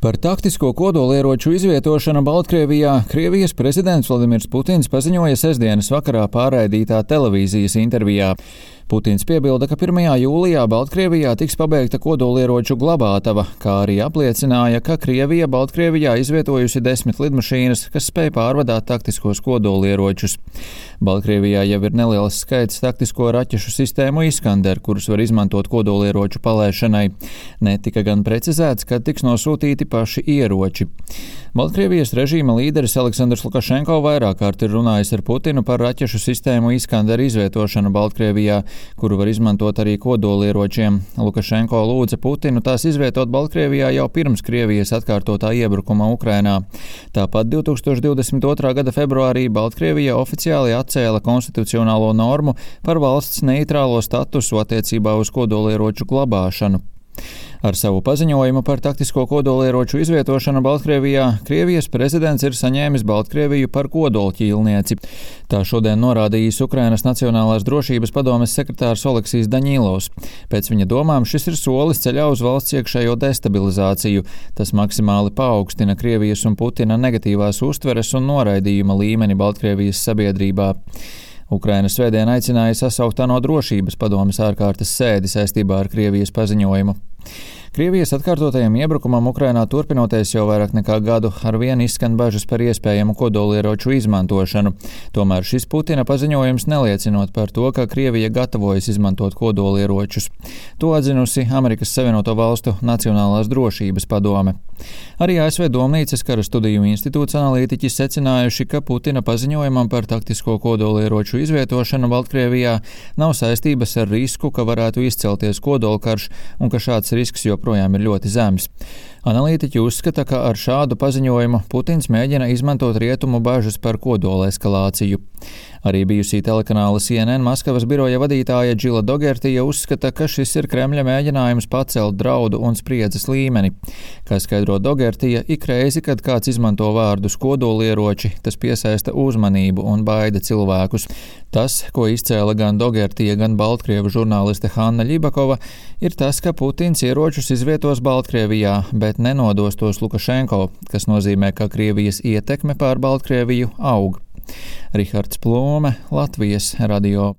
Par taktisko kodolieroču izvietošanu Baltkrievijā Krievijas prezidents Vladimirs Putins paziņoja sestdienas vakarā pārraidītā televīzijas intervijā. Putins piebilda, ka 1. jūlijā Baltkrievijā tiks pabeigta kodolieroču glabātava, kā arī apliecināja, ka Krievija Baltkrievijā izvietojusi 10 lidmašīnas, kas spēj pārvadāt taktiskos kodolieročus. Baltkrievijā jau ir neliels skaits taktisko raķešu sistēmu Iskander, kurus var izmantot kodolieroču palaišanai. Netika gan precizēts, kad tiks nosūtīti paši ieroči. Baltkrievijas režīma līderis Aleksandrs Lukašenko vairāk kārt ir runājis ar Putinu par raķešu sistēmu Iskander izvietošanu Baltkrievijā, kuru var izmantot arī kodolieročiem. Lukašenko lūdza Putinu tās izvietot Baltkrievijā jau pirms Krievijas atkārtotā iebrukuma Ukrainā. Tāpat 2022. gada februārī Baltkrievija oficiāli atcēla konstitucionālo normu par valsts neitrālo statusu attiecībā uz kodolieroču glabāšanu. Ar savu paziņojumu par taktisko kodolieroču izvietošanu Baltkrievijā Krievijas prezidents ir saņēmis Baltkrieviju par kodolķīlnieci. Tā šodien norādījis Ukrainas Nacionālās drošības padomes sekretārs Oleksijs Daņīlovs. Pēc viņa domām šis ir solis ceļā uz valsts iekšējo destabilizāciju. Tas maksimāli paaugstina Krievijas un Putina negatīvās uztveres un noraidījuma līmeni Baltkrievijas sabiedrībā. Ukraina svētdien aicināja sasaukt ANO drošības padomes ārkārtas sēdi saistībā ar Krievijas paziņojumu. Krievijas atkārtotajam iebrukumam Ukrainā turpinoties jau vairāk nekā gadu, arvien izskan bažas par iespējamu kodolieroču izmantošanu. Tomēr šis Putina paziņojums neliecinot par to, ka Krievija gatavojas izmantot kodolieročus. To atzinusi Amerikas Savienoto Valstu Nacionālās drošības padome. Arī ASV Domnīcas kara studiju institūts analītiķi secinājuši, ka Putina paziņojumam par taktisko kodolieroču izvietošanu Baltkrievijā nav saistības ar risku, ka varētu izcelties kodolkarš un ka šāds risks joprojām ir ļoti zems. Analītiķi uzskata, ka ar šādu paziņojumu Putins mēģina izmantot rietumu bažas par kodola eskalāciju. Arī bijusī telekanāla CNN Maskavas biroja vadītāja Džila Dogertija uzskata, ka šis ir Kremļa mēģinājums pacelt draudu un spriedzes līmeni. Kā skaidro Dogertija, ik reizi, kad kāds izmanto vārdus kodolieroči, tas piesaista uzmanību un baida cilvēkus. Tas, ko izcēla gan Dogertija, gan baltkrievu žurnāliste Hanna Ļibakova, ir tas, ka Putins ieročus izvietos Baltkrievijā, bet nenodos tos Lukašenko, kas nozīmē, ka Krievijas ietekme pār Baltkrieviju aug. Rihards Plūme, Latvijas radio.